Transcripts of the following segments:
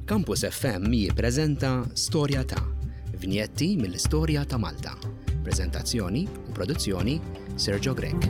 Campus FM jippreżenta Storja ta' vinjetti mill-istorja ta' Malta. Preżentazzjoni u produzzjoni Sergio Grech.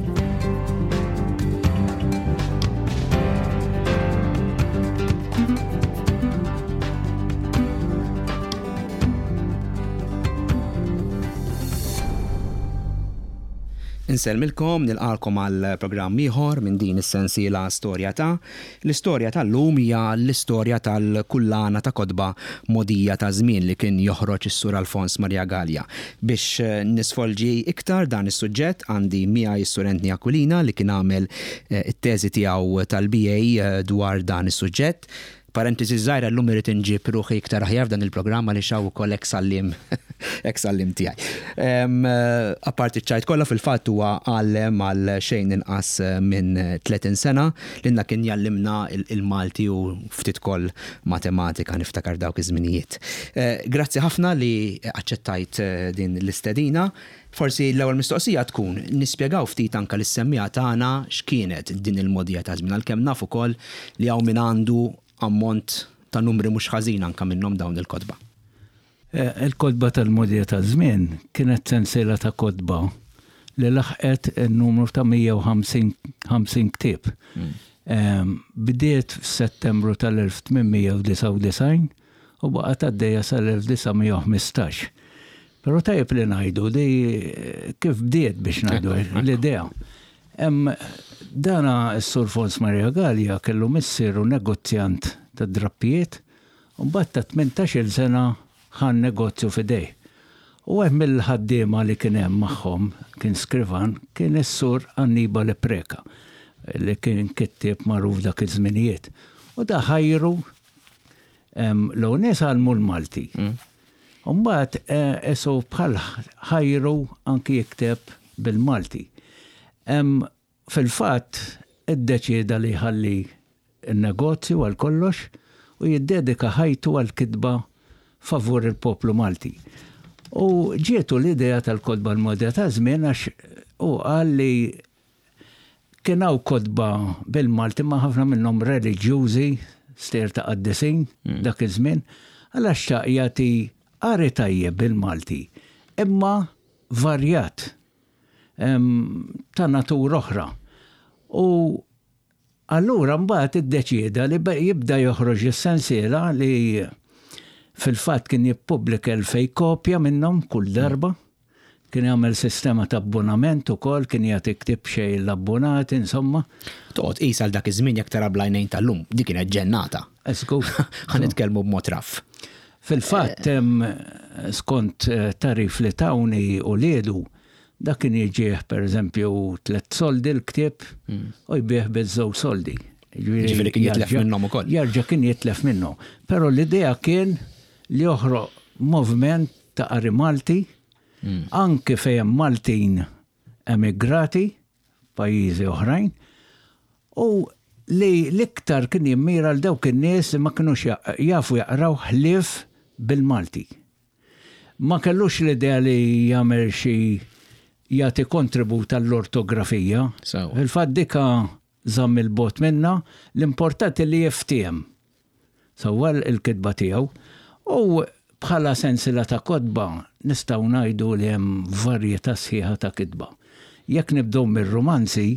Insellmilkom, nilqalkom għal programm ieħor minn din is-sensiela Storja ta' L-istorja tal-lum hija l-istorja tal-kullana ta' kotba Mogħdija ta' Żmien li kien joħroġ is-Sur Alfons Maria Galea. Biex nisfolġi iktar dan is-suġġett għandi miegħi s-Sur Anthony Aquilina li kien għamel it-teżi tiegħu tal-BA dwar dan is-suġġett. Parentesi żgħira llum irrid inġib ruħi iktar aħjar f'dan il-programm għaliex hawn ukoll eks għalliem eks għalliem tiegħi. Apparti ċ-ċajt kollha fil-fatt huwa għallem għal xejn inqas minn 30 sena. Lilna kien jgħallimna il-Malti u ftit ukoll matematika niftakar dawk iż-żminijiet. Grazzi ħafna li aċċettajt din l-istedina. Forsi l-ewwel mistoqsija tkun, nispjegaw ftit anke lis-semmiegħa tagħna x'kienet din il-mogħdija ta' żmien għalkemm naf ukoll li hawn min għandu ammont ta' numri mhux ħażin anke minnhom dawn il-kotba. Il-kotba tal-mogħdija taż-żmien kienet sensiela ta' kotba li laħqet in-numru ta' 150 ktieb. Bdiet f'Settembru tal-1899 u baqgħet għaddejja sal-1915. Però tajjeb li ngħidu li kif bdiet biex ngħidu l-idea. Dana s-Sur Fons Maria Galea kellu missieru negozjant ta' drappijiet u mbagħad ta' 18-il sena ħa n-negozju f'idejh. U wieħed mill-ħaddiema li kien hemm magħhom, kien skrivan, kien is-Sur Annibale Preca, li kien kittieb magħruf dak iż-żminijiet. U da ħajru L-ewwel nies għallmu l-Malti. U mbagħad isu bħal ħajru anki jikteb bil-Malti. Fil-fatt iddeċieda li jħalli n-negozju għal kollox u jiddedika ħajtu għall-kitba favur il-poplu Malti. U ġietu l-idea tal-kotba l-Modja taż-Żmien għax hu qal li Kien hawn kotba bil-Malti ma ħafna minnhom reliġjużi, stejjer ta' qaddisin mm. dak iż-żmien, għala xtaq jagħti qari tajjeb bil-Malti, imma varjat ta' natura oħra. U allura mbagħad iddeċieda li jibda joħroġ is-sensiela li fil-fatt kien jippubblika elfej kopja minnhom kull darba. Kien jagħmel sistema ta' abbonament ukoll, kien jagħti ktieb b'xejn l-abbonati, insomma. Toqgħod tqis għal dak iż-żmien jekk tara bl-għajnejn tal-lum, dik kienet ġennata. Żgur. Ħa nitkellmu b'mod raff. Fil-fatt hemm skont tagħrif li tawni uliedu, dak kien jiġih pereżempju tlett soldi l-ktieb u jbigħ biż-żewġ soldi. Jiġifieri kien jitlef minnhom ukoll. Jerġa' kien jitlef minnhom. Però l-idea kien li joħroq moviment ta' qari Malti, anki fejn hemm Maltin emigrati f'pajjiżi oħrajn, u li l-iktar kien jimmira għal dawk in-nies li ma kinux jafu jaqraw ħlief bil-Malti. Ma kellux l-idea li jagħmel xi jagħti kontribut għall-ortografija. Fil-fatt dika żamm 'il bogħod minnha, l-importanti li jiftiehem sewwa l-kitba tiegħu. U bħala sensiela ta' kotba nistgħu ngħidu li hemm varjetà sħiħa ta' kitba. Jekk nibdew mir-rumanzi,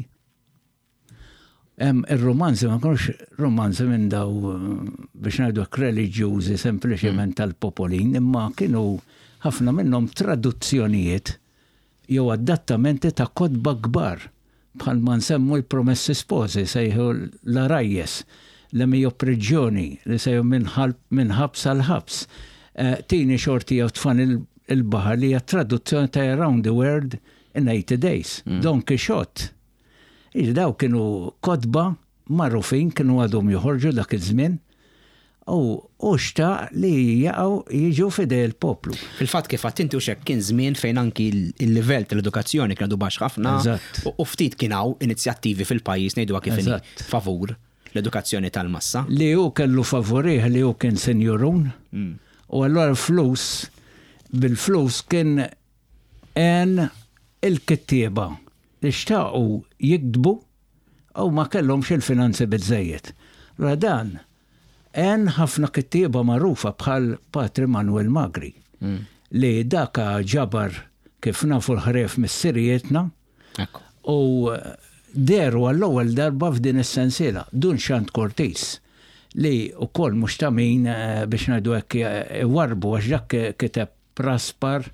ir-rumanzi ma kinux rumanzi minn daw biex ngħidu hekk reliġjużi sempliċement tal-popolin, imma kienu ħafna minnhom traduzzjonijiet jew adattamenti ta' kotba kbar bħal ma nsemmu l-Promessi Sposi, sejħu l-Għarajjes, Le Mio Prigioni li sejħu Minn Ħabs għal Ħabs, Tini Xorti jew Tfani l-Baħar li hija traduzzjoni ta' Around the World in 80 Days, Don Quixote. Jiġifieri dawn kienu kotba magħrufin, kienu għadhom joħorġu dak iż-żmien. U hu xtaq li jaqgħu jiġu f'idej il-poplu. Fil-fatt kif għedt inti hux hekk kien żmien fejn anki l-livell tal-edukazzjoni kien għadu baxx ħafna u ftit kien hawn inizjattivi fil-pajjiż ngħiduha kif inhi favur l-edukazzjoni tal-massa. Li hu kellu favurih li hu kien sinjurun u allura l-flus bil-flus kien għen il-kittieba li xtaqu jiktbu u ma kellhomx il-finanzi biżżejjed. Allura dan. Għen ħafna kittieba magħrufa bħal Patri Manuel Magri li daka ġabar kif nafu l-ħrejjef missirijietna u dehru għall-ewwel darba f'din is-sensiela. Dun Xand Cortis li wkoll mhux ta' min biex ngħidu hekk iwarrbu għax dak kiteb praspar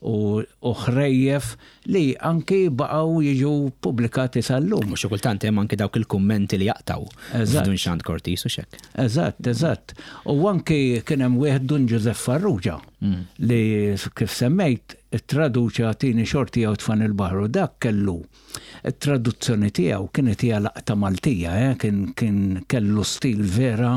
u ħrejjef li anki baqgħu jiġu ppubblikati sal-lum. U xi kultant hemm anki dawk il-kummenti li jaqtgħu f'Dun Xand Cortis, hux hekk? Eżatt, eżatt. U anki kien hemm wieħed Dun Ġużepp Farrugia li kif semmejt ittraduċa Tini Xorti jew Tfani l-Baħar u dak kellu t-traduzzjoni tiegħu kienet hija laqta Maltija, eh, kien kellu stil vera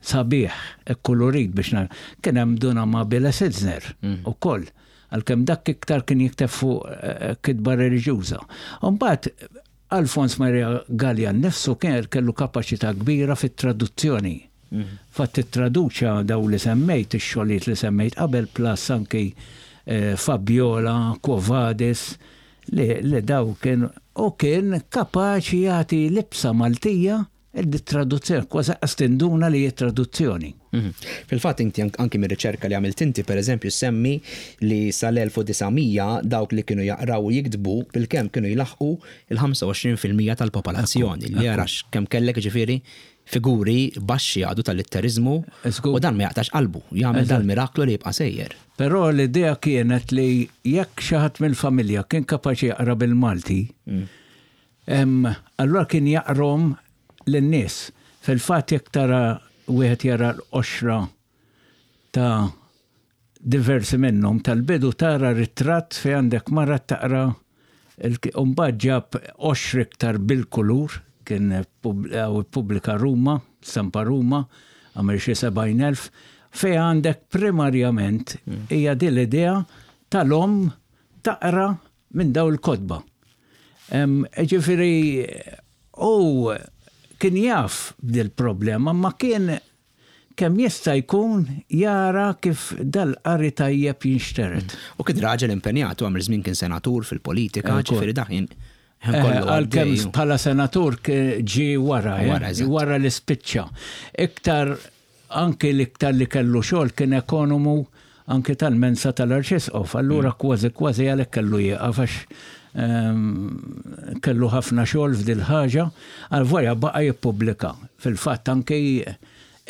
sabiħ, ikkulurit biex nar. Kien hemm Dun Amabile Sitzner ukoll, għalkemm dak iktar kien jikteb fuq eh, kitba reliġjuża. Mbagħad Alfons Maria Galea nnifsu kien kellu kapaċità kbira fit-traduzzjoni. Fatt ittraduċa daw li semmejt, ix-xogħlijiet li semmejt qabel plus anki eh, Fabiola, Quo Vadis, li, li daw kien u kien kapaċi jagħti libsa Maltija Id-traduzzjoni, kważi qas tinduna li hi traduzzjoni. Mhm. Fil-fatt inti anki mir-riċerka li għamilt inti pereżempju semmi li sal-1900 dawk li kienu jaqraw u jiktbu bilkemm kienu jlaħħqu il-25% tal-popolazzjoni. Li jarax kemm kellek ġifieri figuri baxxi għadu tal-litteriżmu u dan ma jaqtax qalbu, jagħmel dal-miraklu li jibqa' sejjer. Però l-idea kienet li jekk xi ħadd mill-familja kien kapaċi jaqra bil-Malti, Allura kien jaqrahom lin-nies. Fil-fatt jekk tara wieħed jara l-qoxra ta' diversi minnhom tal-bidu tara ritratt fejn għandek mara taqra u mbagħad ġab qoxra iktar bil-kulur, kien ippubblika Ruma, stampa Ruma, għamel xi 70,000, fejn għandek primarjament hija din l-idea tal-omm taqra minn dawn il-kotba. Ġifieri hu kien jaf b'dil-problema ma kien kemm jista' jkun jara kif dal-qari tajjeb jinxtered. U kien raġel impenjat, u għamel żmien kien senatur fil-politika, ġifieri dak kien Għalkemm bħala senatur ġie wara, wara li spiċċa. Iktar Anki l-iktar li kellu xogħol kien ekonomu anki tal-mensa tal-Arċisqof, allura kważi kważi għalhekk kellu jieqaf għax kellu ħafna xogħol f'dil-ħaġa, għalvolja baqa' jippubblika. Fil-fatt anki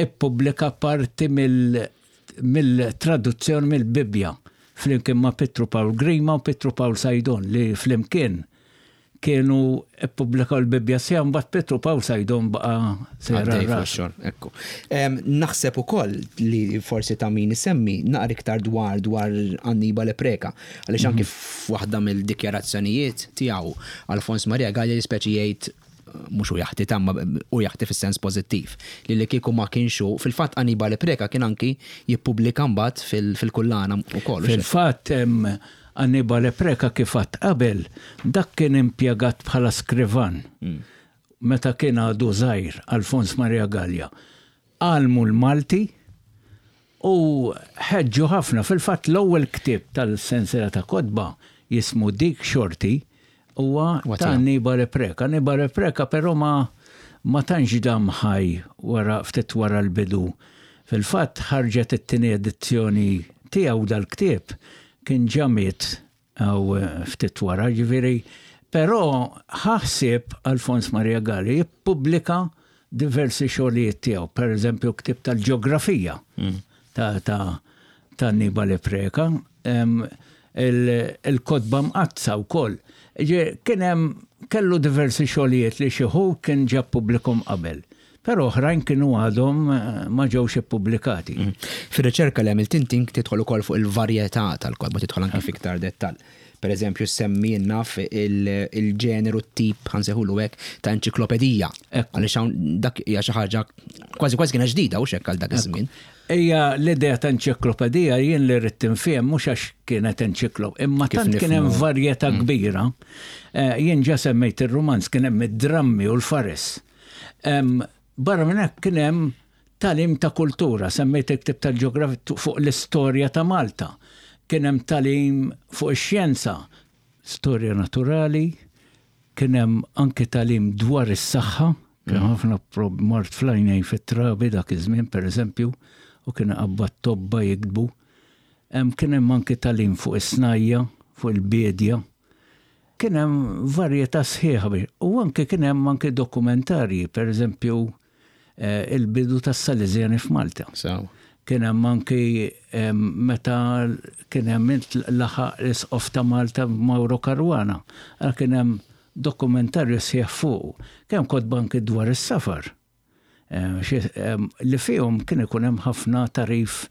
ippubblika parti mill-traduzzjoni mill-Bibbja flimkien ma' Pietru Pawl Grima u Pietru Pawl Saydon li flimkien kienu ppubblikaw il-Bibbja sħiħa mbagħad Pietru Pawl Saydon baqa' sejjer għal rasu. Ekku. Naħseb ukoll li forsi ta' min isemmi naqra iktar dwar dwar Annibale Preca għaliex anki f'waħda mill-dikjarazzjonijiet tiegħu Alfons Maria Galea speċi jgħid mhux hu jaħti ta' imma hu jaħti fis-sens pożittiv li li kieku ma kienx hu, fil-fatt Annibale Preca kien anki jippubblika mbagħad fil-kullana wkoll. Fil-fatt Annibale Preca kif għadt qabel, dak kien impjegat bħala skrivan meta kien għadu żgħir Alfons Maria Galea. Għallmu l-Malti u ħeġġu ħafna. Fil-fatt l-ewwel ktieb tal-sensiela ta' kotba jismu Dik Xorti huwa ta' Annibale Preca. Annibale Preca però ma ma tantx dam ħaj wara ftit wara l-bidu. Fil-fatt ħarġet it-tieni edizzjoni tiegħu dal-ktieb kien ġa miet hawn ftit wara, ġifieri però ħa ħsieb Alfons Maria Galea jippubblika diversi xogħlijiet tiegħu, pereżempju ktieb tal-ġeografija ta' ta' ta' Annibale Preca, il-kotba mqaddsa wkoll. Kien hemm kellu diversi xogħlijiet li xi wħud kien ġa ppubblikhom qabel, però oħrajn kienu għadhom ma ġewx ippubblikati. Fir-riċerka li għamilt inti tidħol ukoll fuq il-varjetà tal-kotba, tidħol anke f'iktar dettall. Per eżempju, semmi naf il-ġeneru tip, ħansejħulu hekk, ta' enċiklopedija. Għaliex hawn dak hija xi ħaġa kważi kważi kienet ġdida u hekk għal dak iż-żmien. Hija l-idea ta' enċiklopedija jien li rrid tinfhem mhux għax kienet enċiklopedija, imma tant kien hemm varjetà mm. kbira. Eh, jien ġa semmejt ir-rumanz kien hemm id-drammi u l-fares. Barra minn hekk kien hemm tagħlim ta' kultura, semmejt il-ktieb tal-ġeografija fuq l-istorja ta' Malta. Kien hemm tagħlim fuq ix-xjenza, storja naturali, kien hemm anke tagħlim dwar is-saħħa, Kien hemm ħafna mard fl-għajnejn fit-trabi dak iż-żmien, pereżempju, u kien iqabbad tobba jiktbu. Kien hemm anki tagħlim fuq is-snajja, fuq il-biedja. Kien hemm varjetà sħiħa biex u anki kien hemm anki dokumentarji, pereżempju il-bidu tas-Salesjani f'Malta. Kien hemm anki meta kien hemm laħaq l-Isqof ta' Malta Mauro Caruana. Allura kien hemm dokumentarju sħiħ fuqu. Kien hemm kotba anki dwar is-safar li fihom kien ikun hemm ħafna tagħrif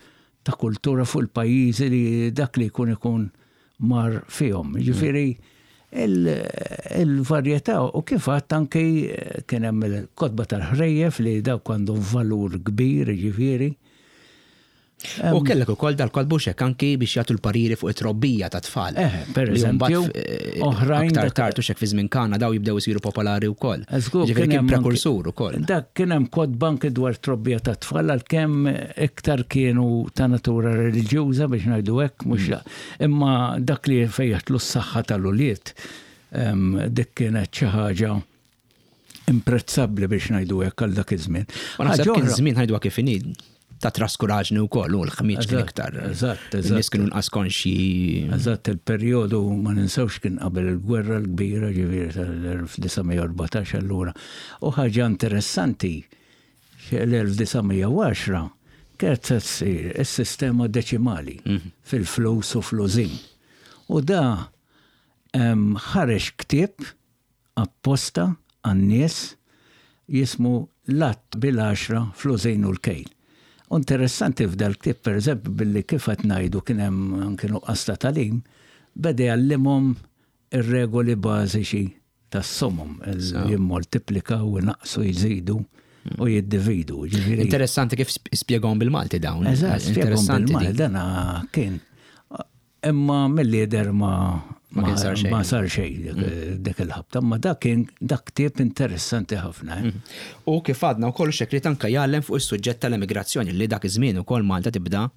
ta' kultura fuq il-pajjiżi li dak li jkun ikun mar fihom. Jiġifieri il-varjetà u kif għadt anki kien hemm il-kotba tal-ħrejjef li dawk għandhom valur kbir, jiġifieri. U kellek ukoll dal-kotba u x'hekk anki biex jagħtu l-pariri fuq it-trobbija tat-tfal. Eh, per eżempju, eh, oħrajn. Aktar tard u x'hekk fi żmien kana daw jibdew isiru popolari wkoll. Ġifieri kien prekursur ukoll. Dak kien hemm kotba anki dwar trobbija tat-tfal għalkemm iktar kienu ta' natura reliġjuża biex ngħidu hekk mhux mm. imma dak li fejjaħtlu s-saħħa tal-ulied dik kienet xi ħaġa imprezzabbli biex ngħidu hekk għal dak iż-żmien. Ma naħseb kien żmien ħajdu kif inhi ta' traskuraġni wkoll u l-ħmieġ kien iktar. Eżatt, eżatt. Nies kienu nqas konxji. Eżatt, il-perjodu ma ninsewx kien qabel il-gwerra l-kbira ġifieri tal-1914 allura. U ħaġa interessanti l-1910 kienet se ssir is-sistema deċimali mhm. fil-flus u fl-użin. U da ħareġ ktieb apposta għan-nies jismu L-Għadd bil-Għaxra fl-Użin u l-Kejl. U interessanti f'dal-ktieb, pereżempju, billi kif qed ngħidu kien hemm anki nuqqas ta' tagħlim, beda jgħallimhom ir-regoli bażiċi tas-somom, jimmoltiplikaw, inaqqsu, jżidu u jiddividu. Ġifieri Interessanti kif spjegahom bil-Malti dawn. Eżatt, spjegahom bil-Malti. Dan kien Imma milli jidher ma Ma kien sar xejn. Ma sar xejn mm. dik il-ħabta, imma dak kien dak ktieb interessanti ħafna. Eh. Mm. U kif għadna wkoll xekli tanka jgħallem fuq is-suġġett tal-emigrazzjoni li dak iż-żmien ukoll Malta tibda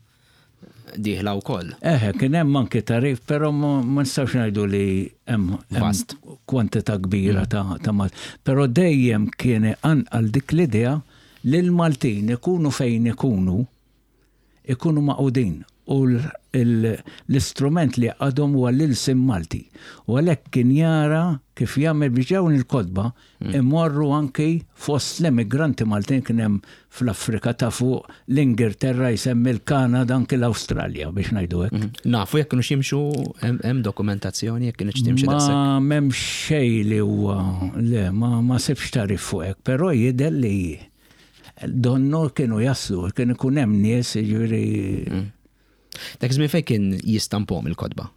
dieħla wkoll. Eħe, kien hemm anki tarif, però ma nistgħux ngħidu li hemm vast kwantità kbira mm. ta' ta' Malta. Però dejjem kien anqal dik l-idea li l-Maltin ikunu fejn ikunu ikunu magħqudin u l-istrument li jgħaqqadhom huwa l-ilsien Malti. U għalhekk kien jara kif jagħmel biex dawn il-kotba imorru anki fost l-emigranti Maltin kien hemm fl-Afrika ta' fuq, l-Ingilterra jsemmi l-Kanada anki l-Awstralja biex ngħidu hekk. Nafu jekk kinux jimxu hemm dokumentazzjoni jekk kinitx timxi daqshekk. Ma m'hemmx xejn li huwa le ma sibx tagħrif fuq hekk, però jidher li Donnu kienu jaslu, kien ikun hemm nies, jiġifieri. Mm. Dak iż-żmien fejn kien jistampom il-kotba?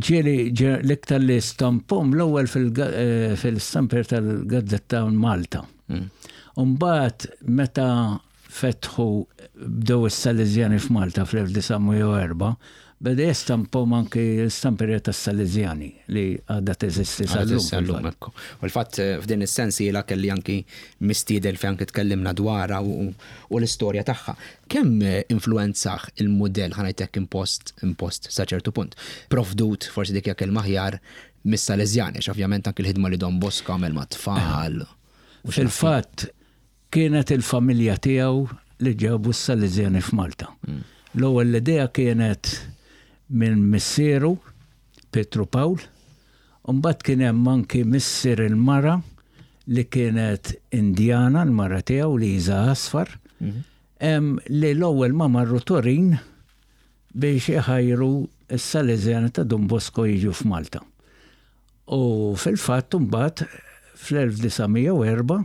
Ġieli l-iktar li stampom l-ewwel eh, fil-stamper tal-Gazzetta Malta. Mm. Umbagħad meta fetħu bdew is-Salesjani f'Malta fl-1904, beda jestampom anki l-istamperija tas-Salesjani li għadha teżisti sal-lum. U l-fatt eh, f'din is-sensiela kelli anki mistieden fejn anki tkellimna dwarha u l-istorja tagħha. Kemm eh, influenzah il-mudell ħanajtek impost impost sa ċertu punt. Provdut forsi dik hija kelma aħjar mis-Salesjani, għax ovvjament anki l-ħidma li Don Bosco għamel mat-tfal. Fil-fatt, Kienet il-familja tiegħu li ġabu s-Salesjani f'Malta. L-ewwel l-idea kienet minn missieru, Pietru Pawl, u mbagħad kien hemm anki missier il-mara li kienet Indjana, l-mara tiegħu Liża Asfar, li l-ewwel ma marru Turin biex iħajru s-Salesjani ta' Dun Bosco jiġu f'Malta. U fil-fatt imbagħad fl-1904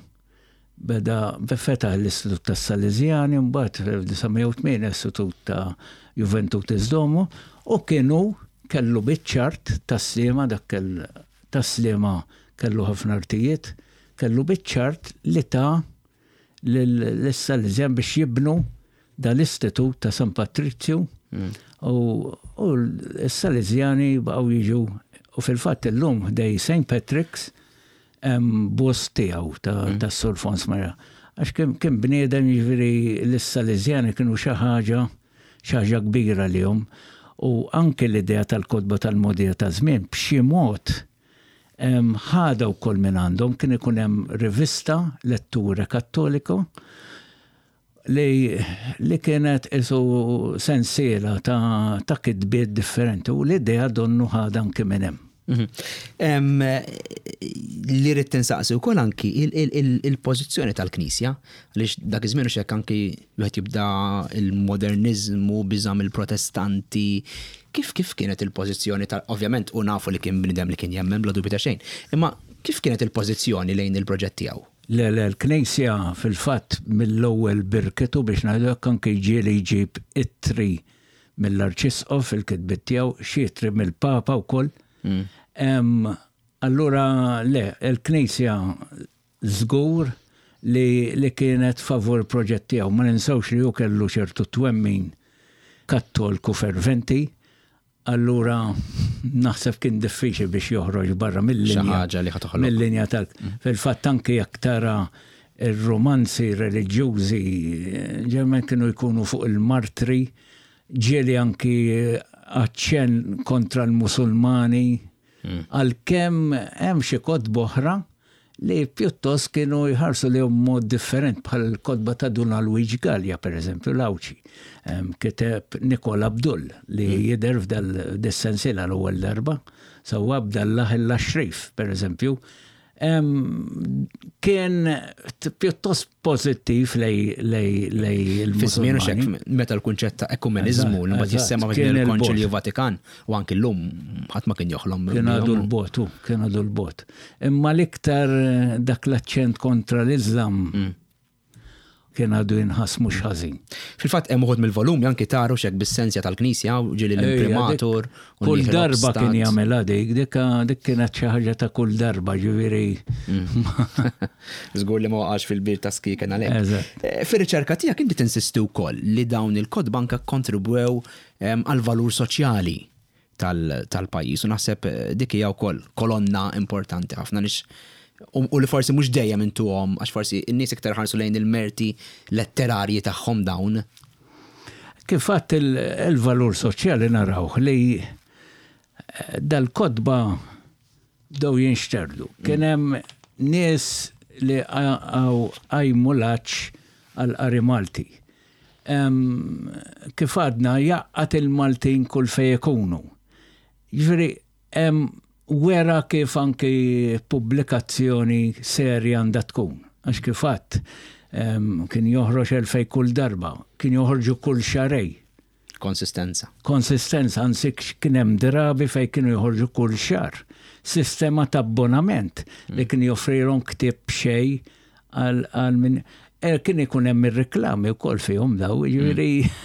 Beda fetaħ l-Istitut tas-Salesjani, mbagħad fl-1908 l-Istitut ta' Juventutis Domo u kien hu kellu biċ-ċart tas-Sliema dak kell tas-Sliema kellu ħafna artijiet, kellu biċ-ċart li ta lis-Salesjan biex jibnu dal-Istitut ta' San Patrizju u s-Salesjani baqgħu jiġu u fil-fatt illum ħdej St. Patrick's Hemm bust tiegħu tas-Sur Fons Maria. Għax kien bniedem jiġifieri l-Salesjani kienu xi ħaġa xi ħaġa kbira għalihom. U anke l-idea tal-kotba tal-mogħdija taż-żmien b'xi mod Ħadha wkoll minn għandhom, kien ikun hemm rivista Letture Cattolico li, li kienet isu sensiela ta', ta kitbiet differenti u l-idea donnu ħadha anki minn hemm. Mhm. Li rrid tinsaqsi wkoll anki il-pożizzjoni tal-Knisja, għaliex dak iż-żmien hekk anki wieħed jibda il-moderniżmu biża' mill-Protestanti. Kif kif kienet il-pożizzjoni tal ovvjament u nafu li kien bniedem li kien jemmen bla dubju ta' xejn, imma kif kienet il-pożizzjoni lejn il-proġett tiegħu? Le, le, l-Knisja fil-fatt mill-ewwel birkitu biex ngħidu hekk anki ġieli jġib ittri mill-Arċisqof fil-kitbiet tiegħu, xi ittri mill-Papa wkoll. Allura le, il-Knisja żgur li li kienet favur il-proġett tiegħu. Ma ninsewx li hu kellu ċertu twemmin Kattolku ferventi, allura naħseb kien diffiċli biex joħroġ barra mill-linja. Xi ħaġa li ħa toħloq. Mill-linja tal. Fil-fatt anki jekk tara r-rumanzi reliġjużi ġeneralment kienu jkunu fuq il-martri, ġieli anki aċċenn kontra l-Musulmani, Għalkemm hemm xi kotba oħra li pjuttost kienu jħarsu lejhom b'mod different bħal kotba ta' Dun Alwiġ Galea pereżempju l-Għawdxi. Kiteb Nikola Abdull li jidher f'dis-sensiela l-ewwel darba, sewwa Abdallah il-Axrif pereżempju kien pjuttost pożittiv lej il-Musulmani. Fi żmien hekk meta l-kunċett ta' ekumeniżmu li mbagħad jissemma fi il-Konċilju Vatikan u anki llum ħadd ma kien joħlom. Kien għadu l-bot, kien għadu l-bot. Imma l-iktar dak l-aċċent kontra l-Iżlam mm. Kien għadu jinħass mhux ħażin. Fil-fatt hemm uħud mill-volumi anki taru xek bis-sensja tal-Knisja u ġieli l-imprimatur. Kull darba kien jagħmilha dik, dik kienet xi ħaġa ta' kull darba, ġifieri. Mm. Żgur li ma waqax fil-bir ta' skiken għalhekk. Eh, fir-riċerka tiegħek inti tinsisti wkoll li dawn il-kotba anke kontribwew ehm, għal valur soċjali tal-pajjiż u naħseb eh, dik hija wkoll kolonna importanti ħafna lix u li forsi mhux dejjem intuhom għax forsi n-nies iktar ħarsu lejn il-merti letterarji tagħhom dawn. Kif għadt il-valur soċjali narawh li eh, dal-kotba bdew jinxterdu. Kien hemm nies li qajmu l-għatx għall-qari Malti. Kif għadna jgħaqqad il-Maltin kull fejn ikunu. Jiġifieri wera kif anki pubblikazzjoni serja għandha tkun. Għax kif għadt kien joħroġ 2000 kull darba, kien joħorġu kull xahrejn. Konsistenza. Konsistenza, anzi kien hemm drabi fejn kienu joħorġu kull xahar. Sistema ta' abbonament li kien joffrilhom ktieb b'xejn għal min eh, kien ikun hemm ir-reklami wkoll fihom daw, jiġifieri mm.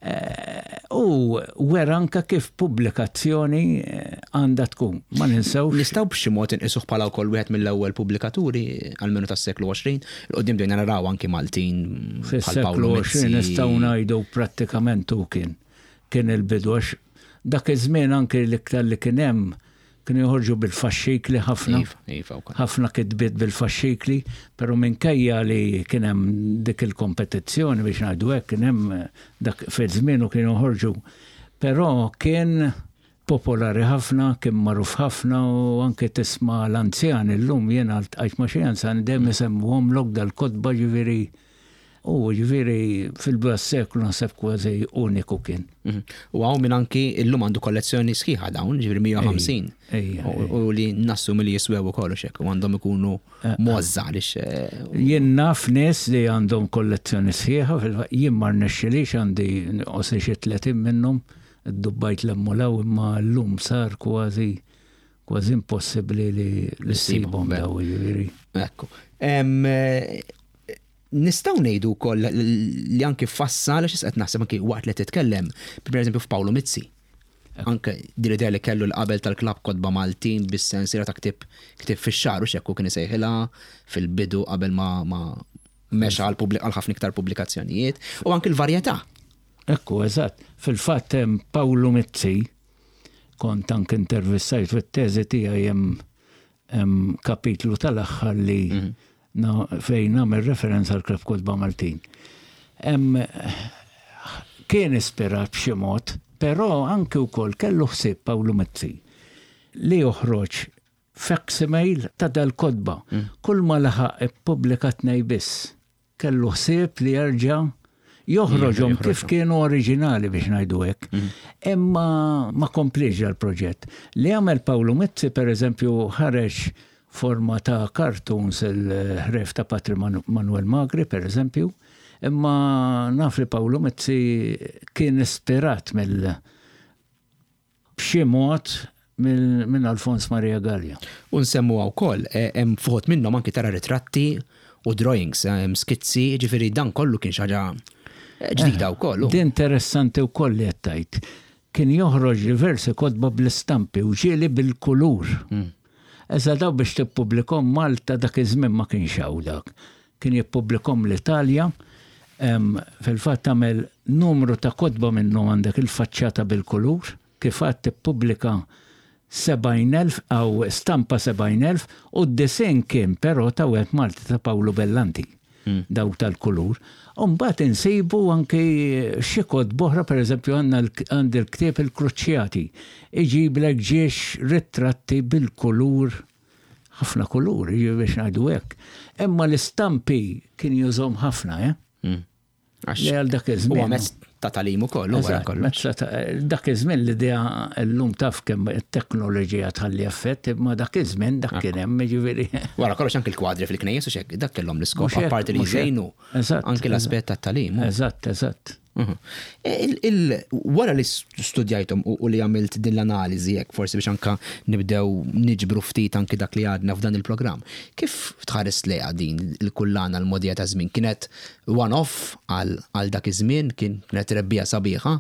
eh, u wera anka kif pubblikazzjoni eh, għandha tkun. Ma ninsewx. Nistgħu b'xi mod inqisuh bħala wkoll wieħed mill-ewwel pubblikaturi għalmenu tas-seklu 20, il-qudiem bdejna naraw anki Maltin bħal Paolo Fis-seklu 20 nistgħu ngħidu prattikament hu kien kien il-bidu għax dak iż-żmien anki l-iktar li kien hemm Kienu joħorġu bil-faxxikli ħafna. Iva, iva wkoll. Ħafna kitbiet bil-faxxikli, però minkejja li kien hemm dik il-kompetizzjoni biex ngħidu hekk, kien hemm dak fi żmienu kienu joħorġu. Però kien popolari ħafna, kien magħruf ħafna u anke tisma' l-anzjani llum jiena ltqajt ma' xi anzjani dejjem isemmuhomlok dal-kotba ġifieri U ġifieri fil-bidu tas-seklu naħseb kważi uniku kien. Mhm. U hawn min anki illum għandu kollezzjoni sħiħa dawn, ġifieri 150. U li nassumi li jiswew ukoll u xek, u għandhom ikunu eh, eh. mozza għaliex. Eh, jien naf nies li għandhom kollezzjoni sħiħa, jien ma rnexxilix għandi qosri xi 30 minnhom, dubbajt l-emmulaw imma llum sar kważi kważi impossibbli li ssibhom daw ġifieri. Ekku. Nistgħu ngħidu wkoll li anki fassal, għax qed naħseb anki waqt li titkellem, pereżempju f'Pawlu Mizzi. Anke din l-idea li kellu l-qabel tal-klabb kotba Maltin bis-sensiela ta' ktieb ktieb fix-xahar u x'hekk hu kien isejħilha fil-bidu qabel ma ma mexa għal għal ħafna iktar pubblikazzjonijiet u anki l-varjetà. Ekku, eżatt. Fil-fatt hemm Pawlu Mizzi, kont anke intervistajt fit-teżi tiegħi hemm Hemm kapitlu tal-aħħar li mhm. fejn nagħmel referenza għal Klabb Kotba Maltin. Hemm kien ispirat b'xi mod, però anke wkoll kellu ħsieb Pawlu Mizzi li joħroġ facsimile ta' dal-kotba. Kull ma laħaq ippubblika tnej biss. Kellu ħsieb li jerġa' joħroġhom kif kienu oriġinali biex ngħidu hekk. Imma ma kompliex dal-proġett. Li għamel Pawlu Mizzi pereżempju ħareġ forma ta' cartoons il-ħrejf ta' Patri Manuel Magri pereżempju, imma naf li Pawlu Mizzi kien ispirat mill b'xi mod minn Alfons Maria Galea. U nsemmuha wkoll, hemm f'uħud minnhom anki tara ritratti u drawings, hemm skizzi, jiġifieri dan kollu kien xi ħaġa ġdida wkoll. Din interessanti wkoll li qed tgħid. Kien joħroġ diversi kotba bl-istampi u ġieli bil-kulur. Iżda dawn biex tippubblikhom Malta dak iż-żmien ma kienx hawn dak. Kien jippubblikhom l-Italja. Fil-fatt għamel numru ta' kotba minnhom għandek il-faċċata bil-kulur. Kif għedt ippubblika 70,000 aw stampa 70,000 u d-disinn kien però ta' wieħed Malti ta' Pawlu Bellanti. Dawk tal-kulur. U mbagħad insibu anki xi kotba oħra, pereżempju għandna għandi l-ktieb Il-Kruċjati. Iġiblek ġiex ritratti bil-kulur, ħafna kulur, jiġifieri biex ngħidu hekk. Imma l-istampi kien jużhom ħafna, eh? Li għal dak iż-żmien. Huwa mezz ta' tagħlim ukoll, wara kollox. Dak iż-żmien l-idea llum taf kemm it-teknoloġija tħalli effett, imma dak iż-żmien dak kien hemm, jiġifieri. Wara kollox anki l-kwadri fil-knejjes u x'hekk, dak kellhom l-iskop apparti li jżejnu. Anki l-aspett tat-tagħlim. Eżatt, eżatt. Wara li studjajthom u li għamilt din l-analiżi hekk forsi biex anke nibdew niġbru ftit anki dak li għadna f'dan il-programm, kif tħares lejha din il-kullana l-mogħdija taż-żmien? Kienet one-off għal dak iż-żmien, kienet rebbiegħa sabiħa?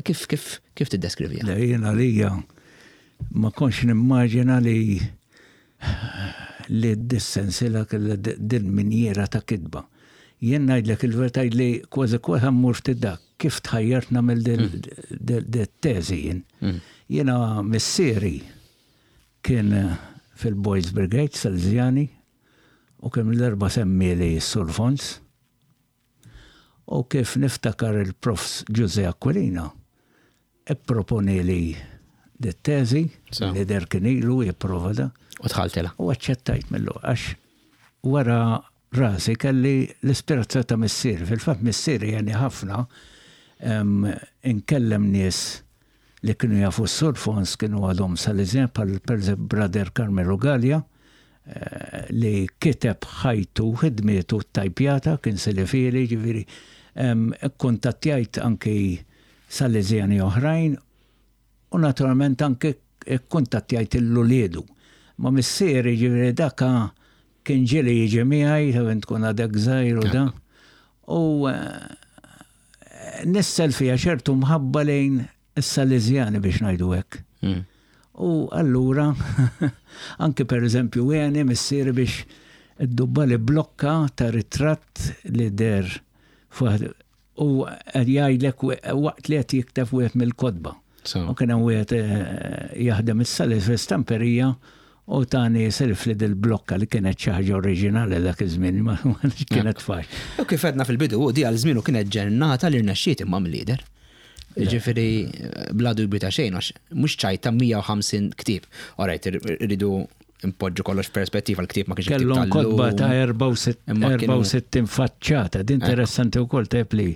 Kif kif kif tiddeskriviha? Le, jien għalija ma kontx nimmaġina li li d-sensiela kellha din minjiera ta' kitba. Jien ngħidlek il-verità li kważi kważi mmur ftit dak kif tħajjart nagħmel dit-teżi jien. Jiena missieri kien fil-Boys Brigade Salesiani u kemm l-erba' semmieli s-Sur Fons. U kif niftakar il-Profs Ġużè Aquilina ipproponieli dit-teżi li deher kien ilu jipprova da. U dħaltilha. U aċċettajt mill-ewwel għax wara rasi kelli l-ispirazzjoni ta' missieri. Fil-fatt missieri għeni ħafna inkellem nies li kienu jafu s-Sur Fons kienu għadhom Salesian bħal pereżempju Brother Carmelo Galea li kiteb ħajtu u ħidmietu ttajpjata, kien Silifieli, ġifieri kkuntattjajt anki Salesiani oħrajn u naturalment anki kkuntattjajt il-uliedu. Ma missieri ġifieri daka kien ġieli jiġi miegħi, taf int tkun għadek żgħir u da. U nissel fija ċertu mħabba lejn is-Salesiani biex ngħidu hekk. U allura anki pereżempju għeni missieri biex iddubbali blokka ta' ritratt li deher u qed jgħidlek waqt li qed jikteb wieħed mill-kotba. U kien hemm wieħed jaħdem is-Sales fl-istamperija u tani selfli dil-blokka li kienet xi ħaġa oriġinali dak iż-żmien, ma kienet faċli. U kif għedna fil-bidu, di għal żmienu kienet ġennata li rnexxiet imma mill-lider. Ġifieri bla dubju ta' xejn għax mhux ċajta 150 ktieb. Alright, irridu npoġġu kollox f'perspettiva l-ktieb ma kienx ktieb Kellhom kotba ta' 64 faċċata, din interessanti wkoll tajb li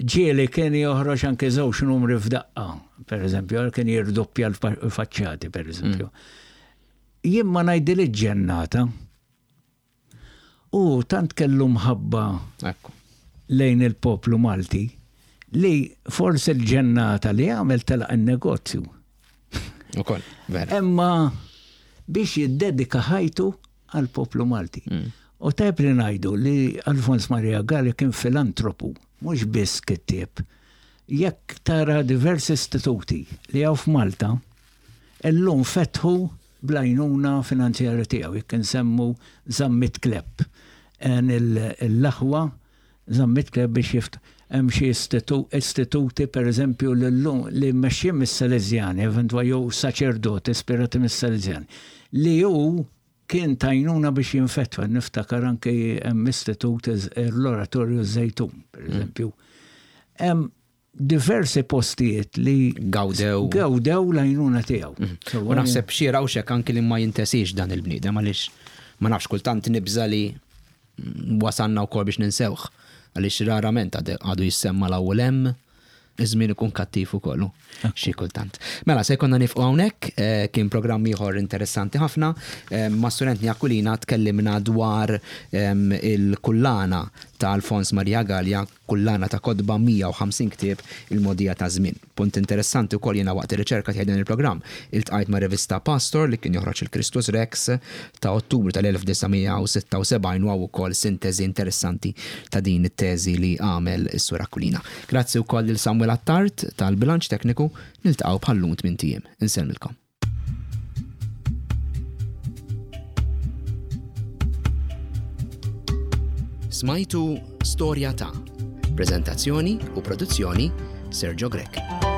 ġieli kien joħroġ anke żewġ numri f'daqqa, per eżempju, kien jirdoppja l-faċċati, per eżempju. Jien ma ngħidilix ġennata. U tant kellu mħabba lejn il-poplu Malti li forsi l-ġennata li għamel telaq in-negozju. Ukoll, vera. Imma biex jiddedika ħajtu għall-poplu Malti. U tajjeb li ngħidu li Alfons Maria Galea kien filantropu, mhux biss kittieb. Jekk tara diversi istituti li hawn f'Malta, illum fetħu bl-għajnuna finanzjarja tiegħu, jekk insemmu Zammit Klepp, għen l-aħwa Zammit Klepp biex jift hemm xi istituti pereżempju li llum li mmexxijin mis-Salesjani, eventwa jew saċerdoti ispirati mis-Salesjani, li hu kien t'għajnuna biex jinfetħu. Niftakar anki hemm istitut l-Oratorju Żejtun, pereżempju. Hemm. diversi postijiet li gawdew gawdew l-għajnuna tiegħu. Mhm. U naħseb xi rawxek anki li ma jintesix dan il-bniedem għaliex ma nafx kultant nibża li wasalna wkoll biex ninsewh għaliex rarament għadu jissemma l-ewwel hemm iż-żmien ikun kattiv ukoll xi kultant. Mela se jkollna nifqu hawnhekk, eh, kien programm ieħor interessanti ħafna. Eh, ma' Student Aquilina tkellimna dwar ehm, il-kullana ta' Alfons Maria Gallia kullana ta' kotba 150 ktieb il-mogħdija taż-żmien. Punt interessanti wkoll jiena waqt ir-riċerka tiegħi dan il-programm iltqajt ma' rivista Pastor li kien joħroġ il-Christus Rex ta' Ottubru tal-1976 u hawn ukoll sinteżi interessanti ta' din it-teżi li għamel is-Sur Aquilina. Grazzi wkoll lil Samuel Attard tal-bilanċ tekniku, niltaqgħu bħal-lum tmint ijiem. Insellmilkom. Smajtu Storja ta' Preżentazzjoni u produzzjoni Sergio Grech.